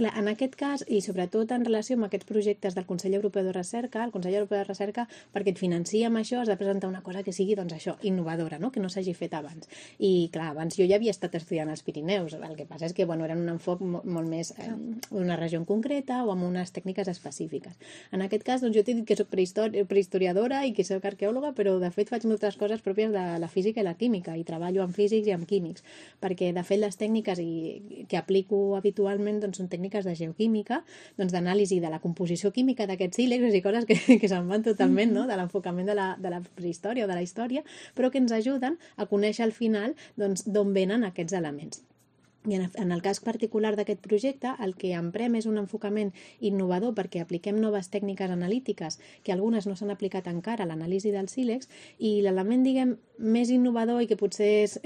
Clar, en aquest cas, i sobretot en relació amb aquests projectes del Consell Europeu de Recerca, el Consell Europeu de Recerca, perquè et financia amb això, has de presentar una cosa que sigui, doncs això, innovadora, no? Que no s'hagi fet abans. I clar, abans jo ja havia estat estudiant als Pirineus, el que passa és que, bueno, eren un enfoc molt més d'una regió en concreta o amb unes tècniques específiques. En aquest cas, doncs jo t'he dit que soc prehistoriadora i que soc arqueòloga, però de fet faig moltes coses pròpies de la física i la química, i treballo amb físics i amb químics, perquè de fet les tècniques que aplico habitualment doncs, són tècniques de geoquímica, doncs d'anàlisi de la composició química d'aquests sílex i coses que se'n van totalment, no? De l'enfocament de la prehistòria o de la història, però que ens ajuden a conèixer al final doncs, d'on venen aquests elements. I en el cas particular d'aquest projecte, el que emprem és un enfocament innovador perquè apliquem noves tècniques analítiques que algunes no s'han aplicat encara a l'anàlisi dels sílex, i l'element, diguem, més innovador i que potser és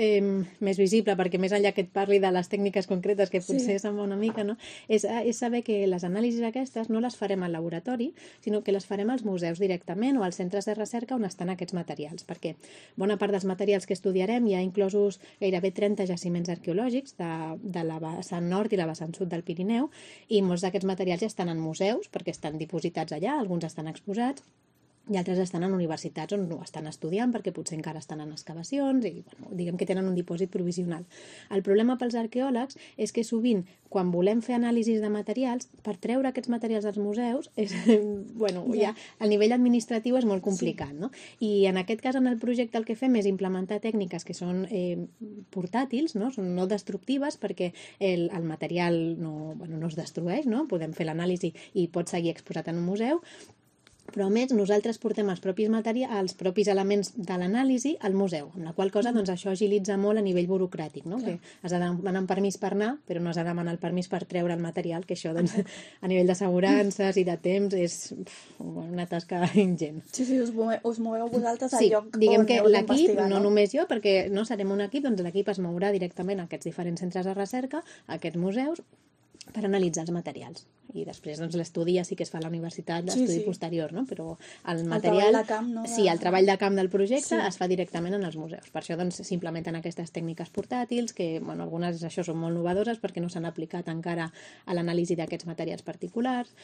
més visible, perquè més enllà que et parli de les tècniques concretes, que potser se'n va una mica, no? És saber que les anàlisis aquestes no les farem al laboratori, sinó que les farem als museus directament o als centres de recerca on estan aquests materials, perquè bona part dels materials que estudiarem hi ha inclosos gairebé 30 jaciments arqueològics de la vessant nord i la vessant sud del Pirineu, i molts d'aquests materials ja estan en museus perquè estan dipositats allà, alguns estan exposats i altres estan en universitats on ho estan estudiant perquè potser encara estan en excavacions i bueno, diguem que tenen un dipòsit provisional. El problema pels arqueòlegs és que sovint quan volem fer anàlisis de materials, per treure aquests materials dels museus bueno, ja a nivell administratiu és molt complicat, no? I en aquest cas en el projecte el que fem és implementar tècniques que són portàtils, no? Són no destructives perquè el material no es destrueix, no? Podem fer l'anàlisi i pot seguir exposat en un museu, però a més nosaltres portem els propis elements de l'anàlisi al museu, amb la qual cosa doncs, això agilitza molt a nivell burocràtic, no? Que has de demanar un permís per anar, però no has de demanar el permís per treure el material, que això doncs, a nivell d'assegurances i de temps és una tasca ingent. Sí, us moveu vosaltres al lloc on diguem que l'equip, no només jo, perquè no serem un equip, doncs l'equip es mourà directament a aquests diferents centres de recerca, a aquests museus, per analitzar els materials. I després doncs, l'estudi ja sí que es fa a la universitat, l'estudi posterior, no? Però el material... El treball de camp, no? Sí, el treball de camp del projecte es fa directament en els museus. Per això doncs, s'implementen aquestes tècniques portàtils, que bueno, algunes això són molt novedoses perquè no s'han aplicat encara a l'anàlisi d'aquests materials particulars,